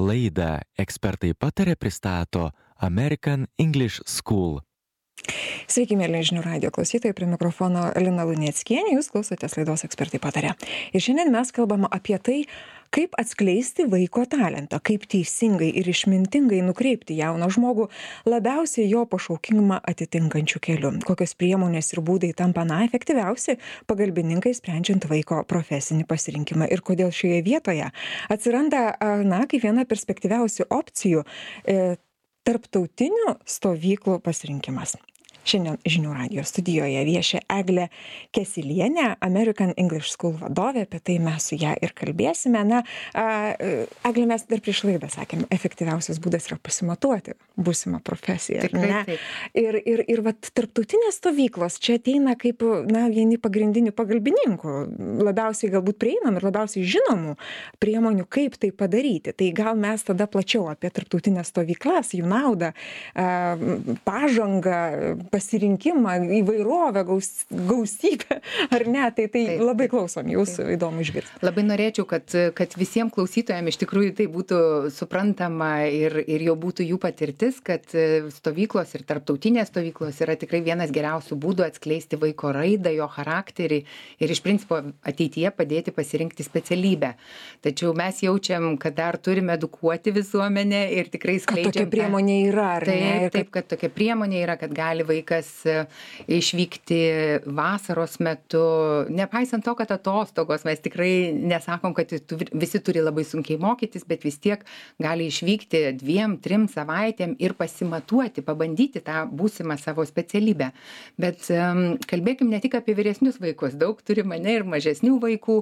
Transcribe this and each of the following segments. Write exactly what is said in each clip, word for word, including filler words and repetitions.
Laidą Ekspertai pataria pristato American English School. Sveiki, mėly žinių radijo klausytojai, prie mikrofono Lina Luneckienė, jūs klausotės laidos Ekspertai pataria. Ir šiandien mes kalbame apie tai, kaip atskleisti vaiko talentą, kaip teisingai ir išmintingai nukreipti jauną žmogų labiausiai jo pašaukimą atitinkančių kelių. Kokios priemonės ir būdai tampa na efektyviausi pagalbininkai sprendžiant vaiko profesinį pasirinkimą ir kodėl šioje vietoje atsiranda na kaip viena perspektyviausių opcijų e, tarptautinių stovyklų pasirinkimas. Šiandien žinių radijo studijoje vieši Eglė Kesylienė, American English School vadovė, apie tai mes su ją ir kalbėsime. Na, Eglė, mes dar prieš laidą sakėm, efektyviausias būdas yra pasimatuoti būsimą profesiją. Tikrai taip. Ir, ir, ir vat, tarptautinės stovyklos čia ateina kaip na, vieni pagrindinių pagalbininkų, labiausiai galbūt prieinam ir labiausiai žinomų priemonių, kaip tai padaryti. Tai gal mes tada plačiau apie tarptautinės stovyklas, jų naudą, pažangą, pasirinkimą, įvairovę, gaus, gausybę, ar ne? Tai, tai taip, labai klausom, jūs taip. Įdomu išgirsti. Labai norėčiau, kad, kad visiems klausytojams iš tikrųjų tai būtų suprantama ir, ir jau būtų jų patirtis, kad stovyklos ir tarptautinės stovyklos yra tikrai vienas geriausių būdų atskleisti vaiko raidą, jo charakterį ir iš principo ateityje padėti pasirinkti specialybę. Tačiau mes jaučiam, kad dar turime edukuoti visuomenę ir tikrai skleidžiam. Kad tokia priemonė yra, ar taip, ne? Ir taip, kad tokia priemonė yra, kad gali vaikas išvykti vasaros metu, nepaisant to, kad atostogos, mes tikrai nesakom, kad visi turi labai sunkiai mokytis, bet vis tiek gali išvykti dviem, trim savaitėm ir pasimatuoti, pabandyti tą būsimą savo specialybę. Bet um, kalbėkim ne tik apie vyresnius vaikus, daug turi mane ir mažesnių vaikų.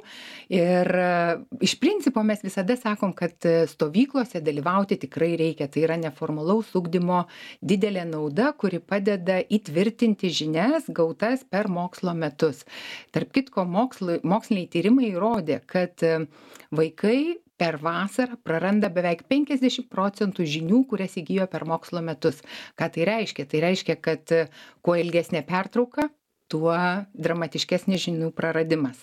Ir uh, iš principo mes visada sakom, kad stovyklose dalyvauti tikrai reikia. Tai yra neformalaus ugdymo didelė nauda, kuri padeda įtvirtinti žinias gautas per mokslo metus. Tarp kitko, mokslo, moksliniai tyrimai įrodė, kad vaikai per vasarą praranda beveik penkiasdešimt procentų žinių, kurias įgijo per mokslo metus. Ką tai reiškia? Tai reiškia, kad kuo ilgesnė pertrauka, tuo dramatiškesnis žinių praradimas.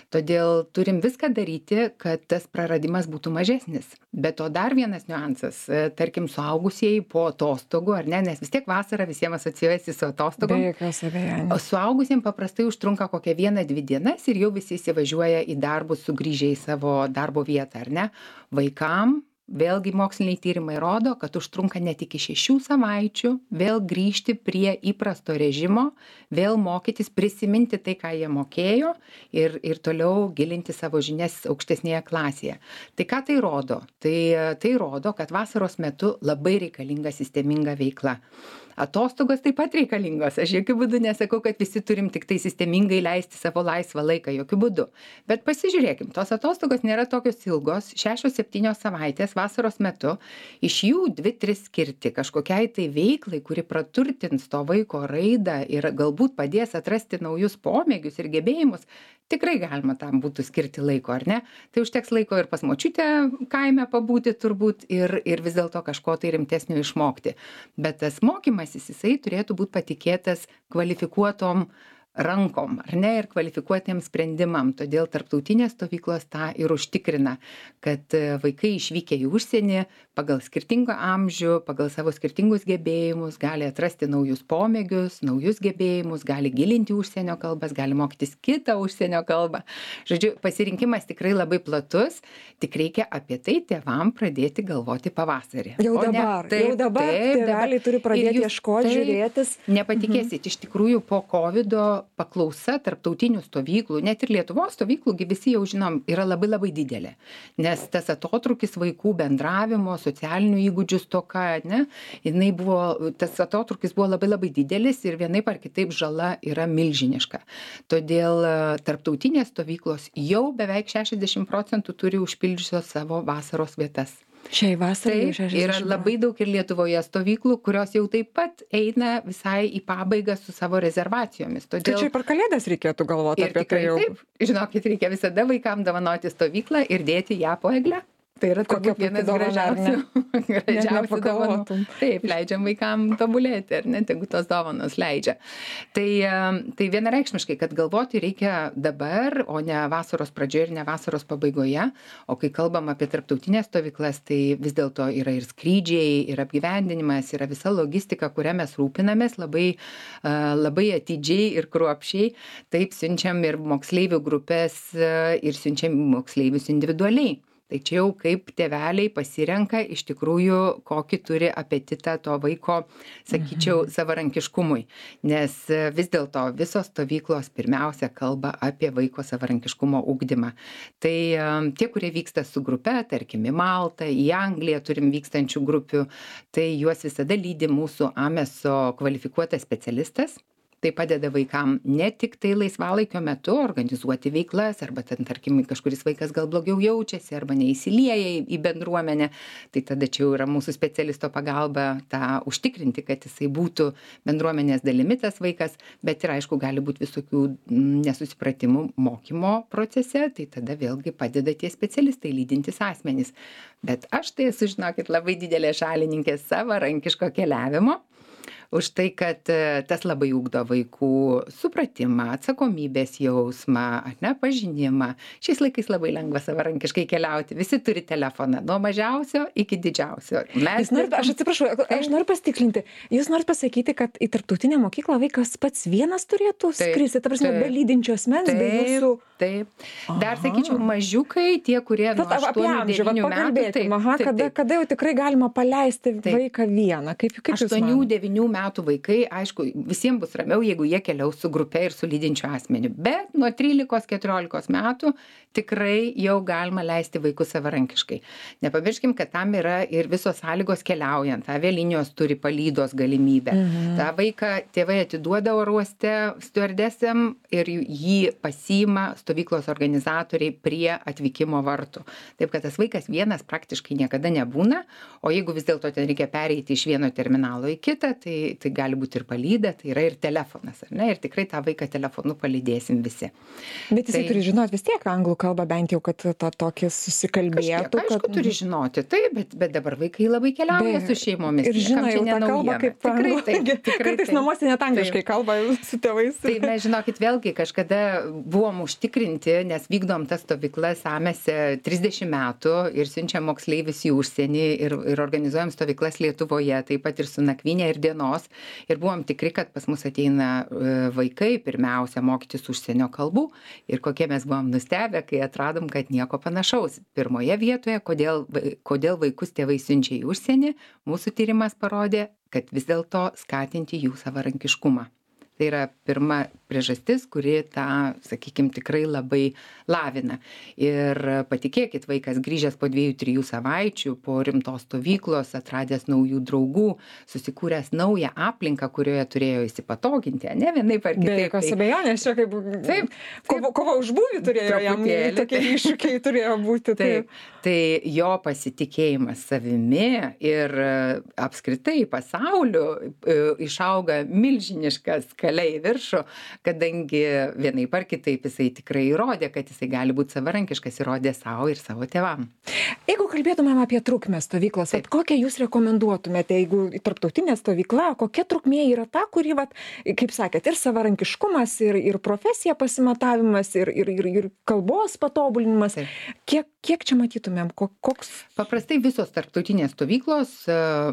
Todėl turim viską daryti, kad tas praradimas būtų mažesnis. Bet to dar vienas niuansas, tarkim, suaugusieji po atostogų, ar ne, nes vis tiek vasara visiems asocijuojasi su atostogom. Be jokios abejonės. O suaugusiems paprastai užtrunka kokią vieną, dvi dienas ir jau visi įsivažiuoja į darbus sugrįžę į savo darbo vietą, ar ne? Vaikam vėlgi moksliniai tyrimai rodo, kad užtrunka net iki šešių savaičių vėl grįžti prie įprasto režimo, vėl mokytis, prisiminti tai, ką jie mokėjo ir, ir toliau gilinti savo žinias aukštesnėje klasėje. Tai ką tai rodo? Tai, tai rodo, kad vasaros metu labai reikalinga sisteminga veikla. Atostogos taip pat reikalingos. Aš jokių būdų nesakau, kad visi turim tik tai sistemingai leisti savo laisvą laiką, jokių būdų. Bet pasižiūrėkim, tos atostogos nėra tokios ilgos, šešios septynios savaitės vasaros metu, iš jų dvi, tris skirti kažkokiai tai veiklai, kuri praturtins to vaiko raidą ir galbūt padės atrasti naujus pomėgius ir gebėjimus. Tikrai galima tam būtų skirti laiko, ar ne? Tai užteks laiko ir pas močiutę kaime pabūti turbūt ir, ir vis dėlto kažko tai rimtesnio išmokti. Bet tas mokymasis, jisai turėtų būti patikėtas kvalifikuotom rankom, ar ne, ir kvalifikuotiems sprendimam. Todėl tarptautinės stovyklos tą ir užtikrina, kad vaikai išvykę į užsienį pagal skirtingą amžių, pagal savo skirtingus gebėjimus gali atrasti naujus pomėgius, naujus gebėjimus, gali gilinti užsienio kalbas, gali mokytis kitą užsienio kalbą. Žodžiu, pasirinkimas tikrai labai platus, tik reikia apie tai tėvam pradėti galvoti pavasarį. Jau dabar, taip, jau dabar tėveliai turi pradėti ieškoti, žiūrėtis. Nepatikėsit, mhm. Iš tikrųjų po kovido paklausa tarptautinių stovyklų, net ir Lietuvos stovyklų, visi jau žinom, yra labai labai didelė. Nes tas atotrukis vaikų bendravimo, socialinių įgūdžių stoka, ne, jinai buvo, tas atotrukis buvo labai labai didelis ir vienaip ar kitaip žala yra milžiniška. Todėl tarptautinės stovyklos jau beveik šešiasdešimt procentų turi užpildžiusios savo vasaros vietas. Šiai vasarai šešiasdešimt yra labai daug ir Lietuvoje stovyklų, kurios jau taip pat eina visai į pabaigą su savo rezervacijomis. Todėl... Tai čia per kalėdas reikėtų galvoti ir apie tai jau. Taip, žinokit, reikia visada vaikams dovanoti stovyklą ir dėti ją po egle. Tai yra Kokia turbūt vienas puiki dovana, ar ne? gražiausių, gražiausių dovanų. nepagalvotum. Taip, leidžiam vaikam tobulėti, ar ne, tegu tos dovanos leidžia. Tai, e, tai vienareikšmiškai, kad galvoti reikia dabar, o ne vasaros pradžioje ir ne vasaros pabaigoje. O kai kalbam apie tarptautinės stovyklas, tai vis dėlto yra ir skrydžiai, ir apgyvendinimas, yra visa logistika, kurią mes rūpinamės labai, e, labai atidžiai ir kruopščiai. Taip siunčiam ir moksleivių grupės e, ir siunčiam moksleivius individualiai. Tai čia jau kaip tėveliai pasirenka iš tikrųjų, kokį turi apetitą to vaiko, sakyčiau, mhm. savarankiškumui. Nes vis dėlto visos stovyklos pirmiausia kalba apie vaiko savarankiškumo ugdymą. Tai tie, kurie vyksta su grupe, tarkim, į Maltą, į Angliją turim vykstančių grupių, tai juos visada lydi mūsų AMESO kvalifikuotas specialistas. Tai padeda vaikam ne tik tai laisvalaikio metu organizuoti veiklas, arba ten, tarkim, kažkuris vaikas gal blogiau jaučiasi, arba neįsilieja į bendruomenę. Tai tada čia jau yra mūsų specialisto pagalba tą užtikrinti, kad jisai būtų bendruomenės dalimi tas vaikas, bet ir aišku, gali būti visokių nesusipratimų mokymo procese, tai tada vėlgi padeda tie specialistai lydintys asmenys. Bet aš tai esu, žinokit, labai didelė šalininkė savarankiško keliavimo. Už tai, kad tas labai ugdo vaikų supratimą, atsakomybės jausmą, ar ne, pažinimą. Šiais laikais labai lengva savarankiškai keliauti. Visi turi telefoną, nuo mažiausio iki didžiausio. Mes norit, aš atsiprašau, aš noriu pasitikslinti. Jūs norit pasakyti, kad į tarptautinę mokyklą vaikas pats vienas turėtų skristi, ta prasme, be lydinčio asmens, be jūsų... Taip. Dar sakyčiau, mažiukai, tie, kurie nuo aštuonių devynių metų. Taip, aha, taip, kada, taip. kada jau tikrai galima paleisti taip. vaiką vieną? Kaip, kaip aštuonių devynių metų vaikai, aišku, visiems bus ramiau, jeigu jie keliaus su grupe ir su lydinčiu asmeniu. Bet nuo trylikos keturiolikos metų tikrai jau galima leisti vaikus savarankiškai. Nepamirškim, kad tam yra ir visos sąlygos keliaujant. Avialinijos turi palydos galimybę. Mhm. Ta vaiką tėvai atiduoda oro uoste stiuardesėm ir jį pasiima stovyklos organizatoriai prie atvykimo vartų. Taip, kad tas vaikas vienas praktiškai niekada nebūna, o jeigu vis dėlto ten reikia pereiti iš vieno terminalo į kitą, tai, tai gali būti ir palyda, tai yra ir telefonas, ar ne? Ir tikrai tą vaiką telefonu palydėsim visi. Bet jisai tai, turi žinoti vis tiek anglų kalbą, bent jau, kad to tokį susikalbėtų. Kažkiek, aišku, kad... turi žinoti, taip, bet, bet dabar vaikai labai keliauja be, su šeimomis. Ir žino jau tą kalbą kaip tikrai, taip, tikrai, kartais taip. Namuose net angliškai taip. Kalba su tėvais. Tai mes, žinokit, vėlgi kažkada buvom užtikrinti, nes vykdom tas stovyklas AMESE trisdešimt metų ir siunčiam moksleivius į užsienį ir, ir organizuojam stovyklas Lietuvoje, taip pat ir su nakvynė ir dienos. Ir buvom tikri, kad pas mus ateina vaikai pirmiausia mokytis užsienio kalbų ir kokie mes buvom nustebę, kai atradom, kad nieko panašaus. Pirmoje vietoje, kodėl, kodėl vaikus tėvai siunčia į užsienį, mūsų tyrimas parodė, kad vis dėlto skatinti jų savarankiškumą. Tai yra pirma priežastis, kuri tą, sakykime, tikrai labai lavina. Ir patikėkit, vaikas grįžęs po dviejų, trijų savaičių, po rimtos stovyklos, atradęs naujų draugų, susikūręs naują aplinką, kurioje turėjo įsipatoginti, ne vienaip ar kitaip. Be jokios abejonės, čia kaip taip, kova, kova už būvį turėjo jam, tokie iššūkiai turėjo būti. Taip. Taip. Tai jo pasitikėjimas savimi ir apskritai pasauliu išauga milžiniškas keliai į viršų, kadangi vienaip ar kitaip jisai tikrai įrodė, kad jisai gali būti savarankiškas, įrodė savo ir savo tėvam. Jeigu kalbėtumėm apie trukmę stovyklos, vat, kokią jūs rekomenduotumėte, jeigu tarptautinė stovykla, kokia trukmė yra ta, kuri, vat, kaip sakėt, ir savarankiškumas, ir, ir profesija pasimatavimas, ir, ir, ir, ir kalbos patobulinimas. Kiek, kiek čia matytumėm? Koks? Paprastai visos tarptautinės stovyklos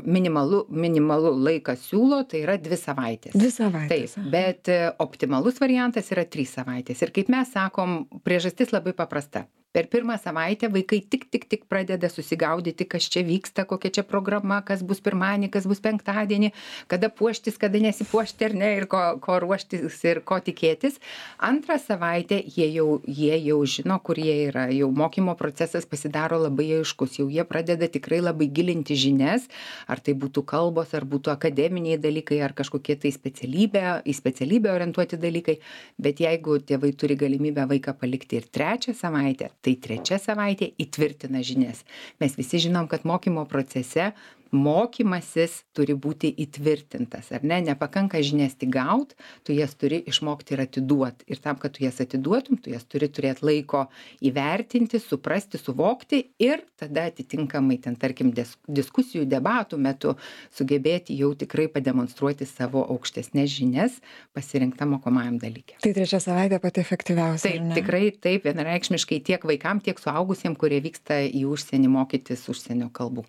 minimalų, minimalų laiką siūlo, tai yra dvi savaitės. Dvi savaitės. Taip, bet optimalus variantas yra trys savaitės. Ir kaip mes sakom, priežastis labai paprasta. Per pirmą savaitę vaikai tik, tik, tik pradeda susigaudyti, kas čia vyksta, kokia čia programa, kas bus pirmadienį, kas bus penktadienį, kada puoštis, kada nesipuošti ar ne, ir ko, ko ruoštis ir ko tikėtis. Antrą savaitę jie jau, jie jau žino, kur jie yra. Jau mokymo procesas pasidaro labai aiškus. Jau jie pradeda tikrai labai gilinti žinias, ar tai būtų kalbos, ar būtų akademiniai dalykai, ar kažkokie tai specialybė, į specialybę orientuoti dalykai. Bet jeigu tėvai turi galimybę vaiką palikti ir trečią savaitę, tai trečia savaitė įtvirtina žinias. Mes visi žinom, kad mokymo procese mokymasis turi būti įtvirtintas, ar ne? Nepakanka žinias tik gaut, tu jas turi išmokti ir atiduoti. Ir tam, kad tu jas atiduotum, tu jas turi turėti laiko įvertinti, suprasti, suvokti ir tada atitinkamai ten, tarkim, diskusijų, debatų metu sugebėti jau tikrai pademonstruoti savo aukštesnės žinias pasirinktam mokomajam dalykė. Tai trečia savaitė pati efektyviausia. Taip, tikrai taip, vienareikšmiškai tiek vaikam, tiek suaugusiem, kurie vyksta į užsienį mokytis užsienio kalbų.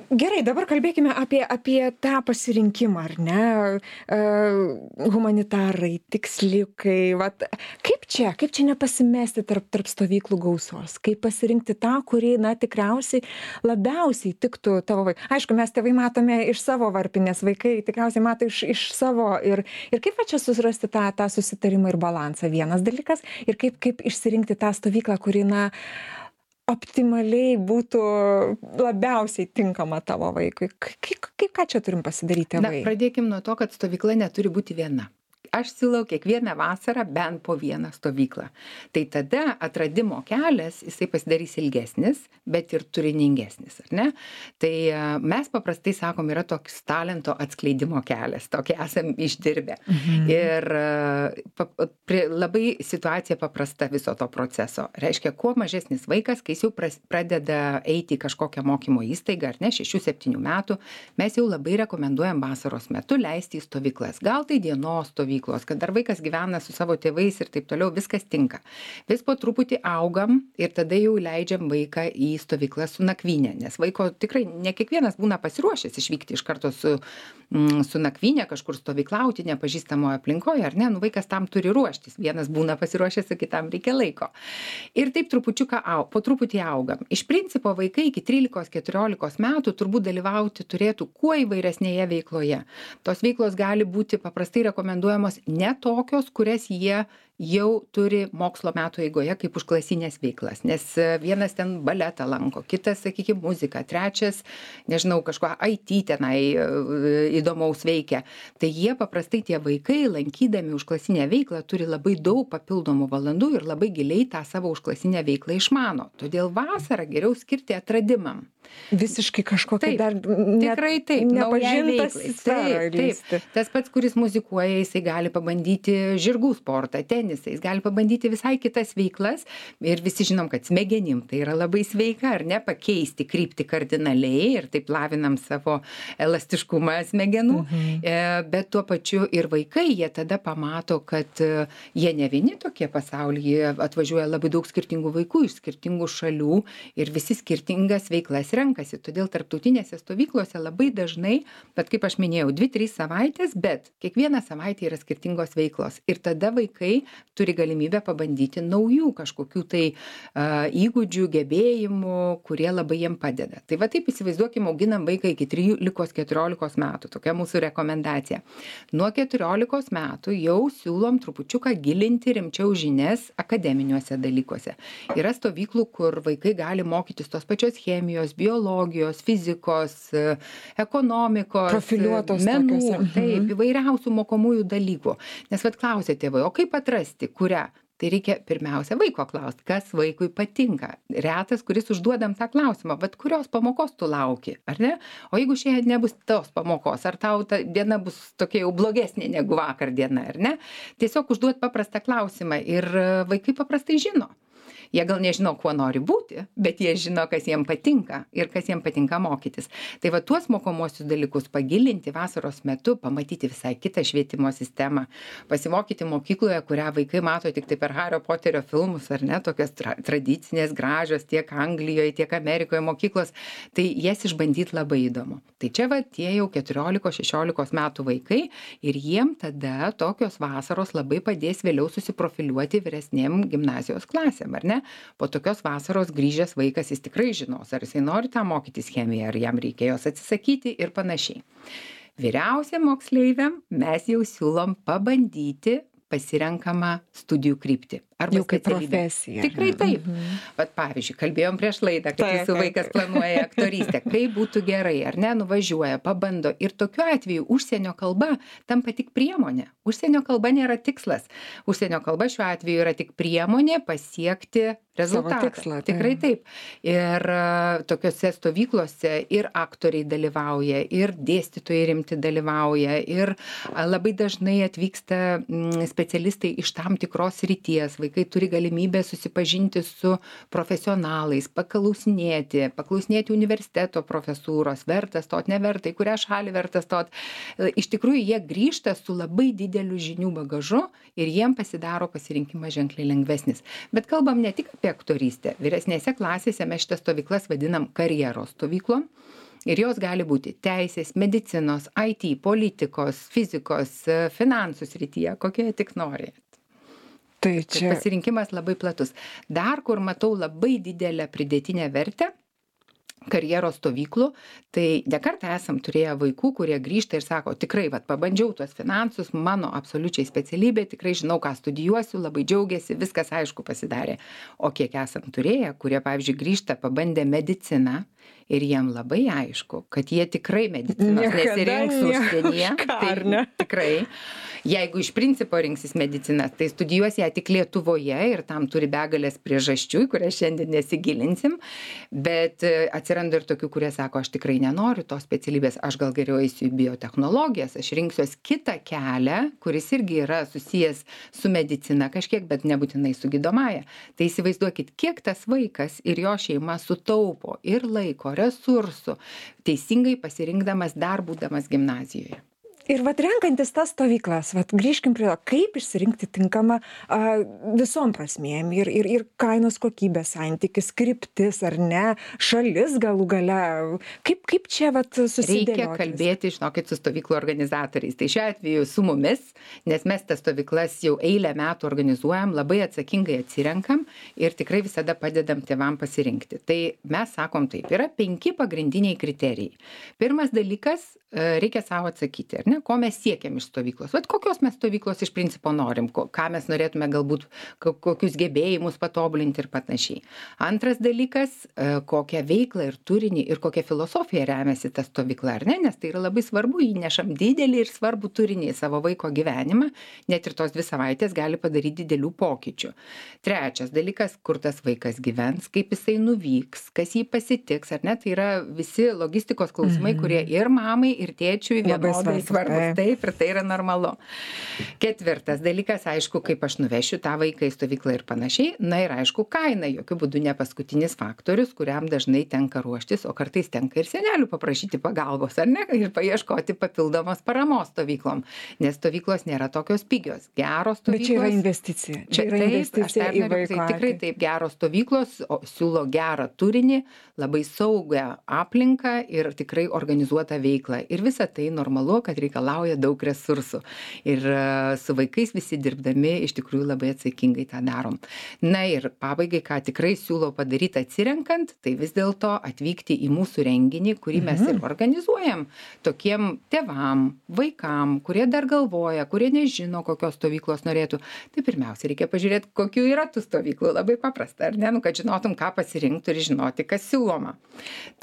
Gerai, dabar kalbėkime apie, apie tą pasirinkimą, ar ne? Uh, humanitarai, tiksliukai, vat, kaip čia, kaip čia nepasimesti tarp, tarp stovyklų gausos, kaip pasirinkti tą, kurį, na, tikriausiai labiausiai tiktų tavo vaikai. Aišku, mes tėvai matome iš savo varpinės, vaikai tikriausiai mato iš, iš savo ir, ir kaip va čia susirasti tą, tą susitarimą ir balansą, vienas dalykas, ir kaip, kaip išsirinkti tą stovyklą, kuri, na, optimaliai būtų labiausiai tinkama tavo vaikui. Kaip, kaip ką čia turim pasidaryti tėvai? Na, pradėkim nuo to, kad stovykla neturi būti viena. Aš siūlau kiekvieną vasarą bent po vieną stovyklą. Tai tada atradimo kelias, jisai pasidarys ilgesnis, bet ir turiningesnis, ar ne? Tai mes paprastai sakom, yra toks talento atskleidimo kelias, tokį esam išdirbę. Mhm. Ir pa, pri, labai situacija paprasta viso to proceso. Reiškia, kuo mažesnis vaikas, kai jis jau pras, pradeda eiti į kažkokią mokymo įstaigą, ar ne, šešių septynių metų, mes jau labai rekomenduojam vasaros metu leisti į stovyklas. Gal tai dienos stovyklas, kad dar vaikas gyvena su savo tėvais ir taip toliau, viskas tinka. Vis po truputį augam ir tada jau leidžiam vaiką į stovyklą su nakvynė, nes vaiko tikrai ne kiekvienas būna pasiruošęs išvykti iš karto su, mm, su nakvynė, kažkur stovyklauti nepažįstamoje aplinkoje, ar ne, nu vaikas tam turi ruoštis, vienas būna pasiruošęs, o kitam reikia laiko. Ir taip trupučiuką, au, po truputį augam. Iš principo vaikai iki trylikos keturiolikos metų turbūt dalyvauti turėtų kuo įvairesnėje veikloje. Tos veiklos gali būti paprastai rekomenduojamos ne tokios, kurias jie jau turi mokslo metų eigoje kaip užklasinės veiklas, nes vienas ten baletą lanko, kitas, sakykime, muziką, trečias, nežinau, kažko I T tenai įdomaus veikia. Tai jie paprastai tie vaikai, lankydami užklasinę veiklą, turi labai daug papildomų valandų ir labai giliai tą savo užklasinę veiklą išmano. Todėl vasarą geriau skirti atradimam. Visiškai kažkokia taip, dar ne, tikrai taip, nepažintas taip, taip. Tas pats, kuris muzikuoja, jisai gali pabandyti žirgų sportą, tenisą, jis gali pabandyti visai kitas veiklas ir visi žinom, kad smegenim tai yra labai sveika, ar ne, pakeisti kryptį kardinaliai ir taip lavinam savo elastiškumą smegenų, mhm. Bet tuo pačiu ir vaikai, jie tada pamato, kad jie ne vieni tokie pasaulyje, atvažiuoja labai daug skirtingų vaikų iš skirtingų šalių ir visi skirtingas veiklas renkasi. Todėl tarptautinėse stovyklose labai dažnai, bet kaip aš minėjau, dvi trys savaitės, bet kiekvieną savaitę yra skirtingos veiklos. Ir tada vaikai turi galimybę pabandyti naujų kažkokių tai uh, įgūdžių, gebėjimų, kurie labai jiem padeda. Tai va taip įsivaizduokime, auginam vaiką iki trylikos keturiolikos metų. Tokia mūsų rekomendacija. Nuo keturiolikos metų jau siūlom trupučiuką gilinti rimčiau žinias akademiniuose dalykuose. Yra stovyklų, kur vaikai gali mokytis tos pačios chemijos, biologijos, fizikos, ekonomikos, profiliuotos menų, tokios. taip, įvairiausių mokomųjų dalykų. Nes vat klausė tėvai, o kaip atrasti, kurią? Tai reikia pirmiausia vaiko klausti, kas vaikui patinka. Retas, kuris užduodam tą klausimą, bet kurios pamokos tu lauki, ar ne? O jeigu šiandien nebus tos pamokos, ar tau ta diena bus tokia jau blogesnė negu vakar diena, ar ne? Tiesiog užduot paprastą klausimą ir vaikai paprastai žino. Jie gal nežino, kuo nori būti, bet jie žino, kas jiem patinka ir kas jiem patinka mokytis. Tai va tuos mokomosius dalykus pagilinti vasaros metu, pamatyti visai kitą švietimo sistemą, pasimokyti mokykloje, kurią vaikai mato tik tai per Hario Poterio filmus, ar ne, tokios tra- tradicinės, gražios tiek Anglijoje, tiek Amerikoje mokyklos, tai jas išbandyti labai įdomu. Tai čia va tie jau keturiolikos šešiolikos metų vaikai ir jiem tada tokios vasaros labai padės vėliau susiprofiliuoti vyresnėm gimnazijos klasėm, ar ne? Po tokios vasaros grįžęs vaikas jis tikrai žinos, ar jisai nori tą mokytis chemiją, ar jam reikia jos atsisakyti ir panašiai. Vyriausiam moksleiviam mes jau siūlom pabandyti pasirenkama studijų kryptį. Arba jau kaip specialybė. profesija. Tikrai taip. Mhm. Vat pavyzdžiui, kalbėjom prieš laidą, kad Taip, jūsų taip, vaikas taip. planuoja aktorystę. Kaip būtų gerai, ar ne, nuvažiuoja, pabando. Ir tokiu atveju užsienio kalba tampa tik priemonė. Užsienio kalba nėra tikslas. Užsienio kalba šiuo atveju yra tik priemonė pasiekti rezultatą. Savo tikslą, tai. Tikrai taip. Ir uh, tokiuose stovyklose ir aktoriai dalyvauja, ir dėstytojai rimti dalyvauja, ir uh, labai dažnai atvyksta mm, specialistai iš tam tikros ryties. Vaikai turi galimybę susipažinti su profesionalais, paklausinėti, paklausinėti universiteto profesūros, verta stot, neverta, į kurią šalį verta stot. Iš tikrųjų, jie grįžta su labai dideliu žinių bagažu ir jiem pasidaro pasirinkimas ženkliai lengvesnis. Bet kalbam ne tik apie aktorystę. Vyresnėse klasėse mes šitas stovyklas vadinam karjeros stovyklom. Ir jos gali būti teisės, medicinos, I T, politikos, fizikos, finansų srityje, kokie tik nori. Tai Čia čia pasirinkimas labai platus. Dar kur matau labai didelę pridėtinę vertę karjeros stovyklų, tai nekartą esam turėję vaikų, kurie grįžta ir sako, tikrai, vat, pabandžiau tuos finansus, mano absoliučiai specialybė, tikrai žinau, ką studijuosiu, labai džiaugiasi, viskas aišku pasidarė. O kiek esam turėję, kurie, pavyzdžiui, grįžta, pabandė mediciną ir jiem labai aišku, kad jie tikrai medicinos Niekada nesirinks ne užsienyje. kažką, Tai ar ne? tikrai. Jeigu iš principo rinksis mediciną, tai studijuos ją tik Lietuvoje ir tam turi begalės priežasčių, į kurias šiandien nesigilinsim, bet e, atsiranda ir tokių, kurie sako, aš tikrai nenoriu tos specialybės, aš gal geriau eisiu į biotechnologijas, aš rinksiuos kitą kelią, kuris irgi yra susijęs su medicina kažkiek, bet nebūtinai su gydomąja. Tai įsivaizduokit, kiek tas vaikas ir jo šeima sutaupo ir laiko, resursų, teisingai pasirinkdamas dar būdamas gimnazijoje. ir vat renkantis tas stovyklas, vat grįžkim prie to, kaip išsirinkti tinkamą a, visom prasmėm ir, ir, ir kainos kokybės santykis, kryptis ar ne, šalis galų gale. Kaip, kaip čia vat susidėlioti? Reikia kalbėti, žinokit, su stovyklų organizatoriais. Tai šiuo atveju su mumis, nes mes tas stovyklas jau eilę metų organizuojam, labai atsakingai atsirenkam ir tikrai visada padedam tėvam pasirinkti. Tai mes sakom taip, yra penki pagrindiniai kriterijai. Pirmas dalykas, reikia savo atsakyti, ar ne, ko mes siekiam iš stovyklos. Vat kokios mes stovyklos iš principo norim, ko, ką mes norėtume galbūt, kokius gebėjimus patobulinti ir panašiai. Antras dalykas, kokią veiklą ir turinį ir kokią filosofiją remiasi ta stovykla, ar ne, nes tai yra labai svarbu, įnešam didelį ir svarbų turinį į savo vaiko gyvenimą, net ir tos dvi savaitės gali padaryti didelių pokyčių. Trečias dalykas, kur tas vaikas gyvens, kaip jisai nuvyks, kas jį pasitiks, ar ne, tai yra visi logistikos klausimai, mm-hmm. kurie ir mamai, ir tėčiui vienodai svarbus. Taip, ir tai yra normalu. Ketvirtas dalykas, aišku, kaip aš nuvešiu tą vaiką į stovyklą ir panašiai. Na ir aišku, kaina, jokių būdų ne paskutinis faktorius, kuriam dažnai tenka ruoštis, o kartais tenka ir senelių paprašyti pagalbos, ar ne, ir paieškoti papildomos paramos stovyklom, nes stovyklos nėra tokios pigios. Geros stovyklos. Bet čia yra investicija. Čia yra taip, investicija į vaiką. Tai tikrai taip, geros stovyklos o, siūlo gerą turinį, labai saugę aplinką ir tikrai organizuotą veiklą. Ir visa tai normalu, kad reikalauja daug resursų. Ir uh, su vaikais visi dirbdami iš tikrųjų labai atsakingai tą darom. Na ir pabaigai, ką tikrai siūlau padaryti atsirenkant, tai vis dėlto atvykti į mūsų renginį, kurį mes ir organizuojam tokiem tėvam, vaikam, kurie dar galvoja, kurie nežino, kokios stovyklos norėtų. Tai pirmiausia, reikia pažiūrėti, kokių yra tų stovyklų. Labai paprasta, ar ne? Nu, kad žinotum, ką pasirinkti ir žinoti, kas siūloma.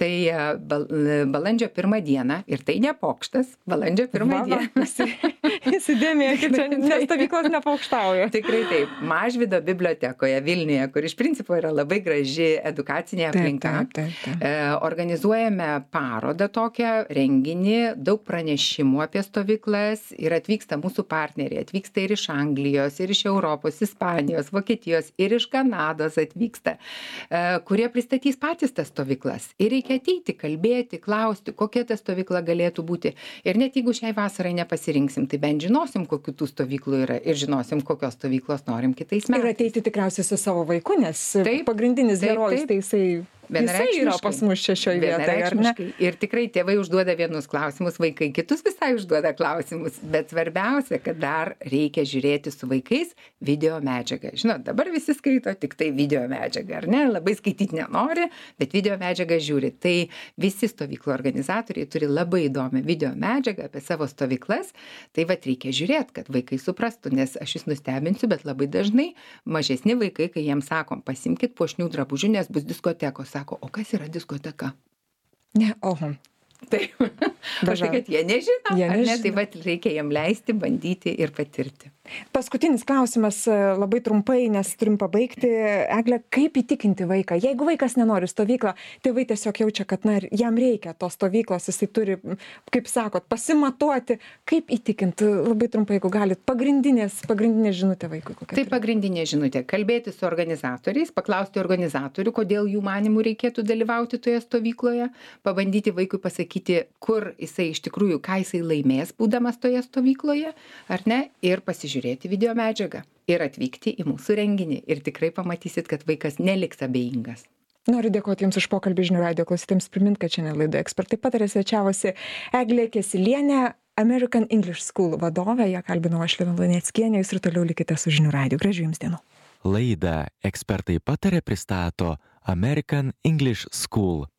Tai uh, bal, balandžio pirmą dieną, ir tai ne pokštas, balandžio pirmą dieną. Įsidėmėkit, čia nes stovyklos nepokštauja. Tikrai taip. Mažvydo bibliotekoje Vilniuje, kur iš principo yra labai graži edukacinė aplinka. Taip, taip, taip, taip. E, organizuojame parodą tokią, renginį, daug pranešimų apie stovyklas ir atvyksta mūsų partneriai. Atvyksta ir iš Anglijos, ir iš Europos, Ispanijos, Vokietijos, ir iš Kanados atvyksta, e, kurie pristatys patys tas stovyklas. Ir reikia ateiti, kalbėti, klausti, kokia ta stovykla galėtų būti. Ir net jeigu šiai vasarai nepasirinksim, tai bent žinosim, kokių tų stovyklų yra ir žinosim, kokios stovyklos norim kitais metais. Ir ateiti tikriausiai su savo vaiku, nes taip, pagrindinis taip, herojus, taip. tai jisai Jisai yra pas mus čia šioje vietoje, ar ne? Ir tikrai tėvai užduoda vienus klausimus, vaikai kitus visai užduoda klausimus, bet svarbiausia, kad dar reikia žiūrėti su vaikais video medžiagą. Žinot, dabar visi skaito tik tai video medžiagą, ar ne? Labai skaityti nenori, bet video medžiagą žiūri. Tai visi stovyklų organizatoriai turi labai įdomią video medžiagą apie savo stovyklas. Tai vat reikia žiūrėti, kad vaikai suprastų, nes aš jūs nustebinsiu, bet labai dažnai mažesni vaikai, kai jiems sakom, pasimkit puošnių drabužių, nes bus diskotekos, sako, o kas yra diskoteka? Ne, oho. Taip, aš tai, kad jie nežino, jie ar ne, nežino. tai vat reikia jiem leisti, bandyti ir patirti. Paskutinis klausimas labai trumpai, nes turim pabaigti. Egle, kaip įtikinti vaiką? Jeigu vaikas nenori stovyklą, tėvai tiesiog jaučia, kad na, jam reikia tos stovyklos, jisai turi, kaip sakot, pasimatuoti. Kaip įtikinti? Labai trumpai, jeigu galit, pagrindinės, pagrindinė žinutė vaikui. Tai pagrindinė žinutė. Kalbėti su organizatoriais, paklausti organizatorių, kodėl jų manimų reikėtų dalyvauti toje stovykloje, pabandyti vaikui pasakyti, kur jisai iš tikrųjų, ką jisai laimės, būdamas toje stovykloje, ar ne, ir pasižiūrėti žiūrėti video medžiagą ir atvykti į mūsų renginį. Ir tikrai pamatysit, kad vaikas neliks abejingas. Noriu dėkoti Jums už pokalbį žinių radijo klausytėms. Primint, kad šiandien laidoje Ekspertai pataria svečiavosi Eglė Kesylienė, American English School vadovė. Ją kalbinau aš, Lina Luneckienė. Jūs ir toliau likite su žinių radiju. Gražių Jums dienų. Laidą Ekspertai pataria pristato American English School.